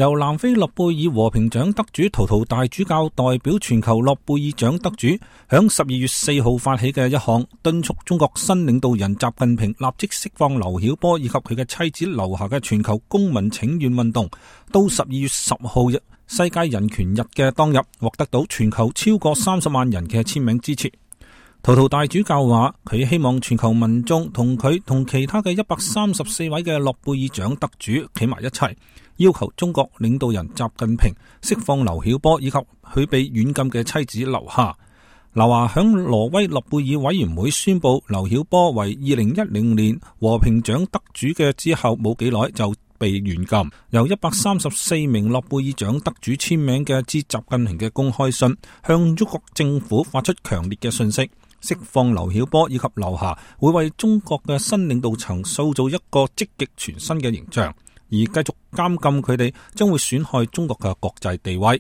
由南非諾貝爾和平獎得主圖圖大主教代表全球諾貝爾獎得主，響12月4號發起嘅一項敦促中國新領導人習近平立即釋放劉曉波以及佢嘅妻子劉霞嘅全球公民請願運動，到12月10號世界人權日嘅當日，獲得到全球超過30萬人嘅簽名支持。圖圖大主教話，佢希望全球民眾同佢同其他嘅134位嘅諾貝爾獎得主企埋一齊，要求中國領導人習近平釋放劉曉波以及佢被軟禁嘅妻子劉霞。劉霞響挪威諾貝爾委員會宣布劉曉波為2010年和平獎得主嘅之後冇幾耐就被軟禁，由134名諾貝爾獎得主簽名嘅致習近平嘅公開信，向中國政府發出強烈嘅訊息。釋放劉曉波以及劉霞會為中國嘅新領導層塑造一個積極全新嘅形象，而繼續監禁佢哋將會損害中國嘅國際地位。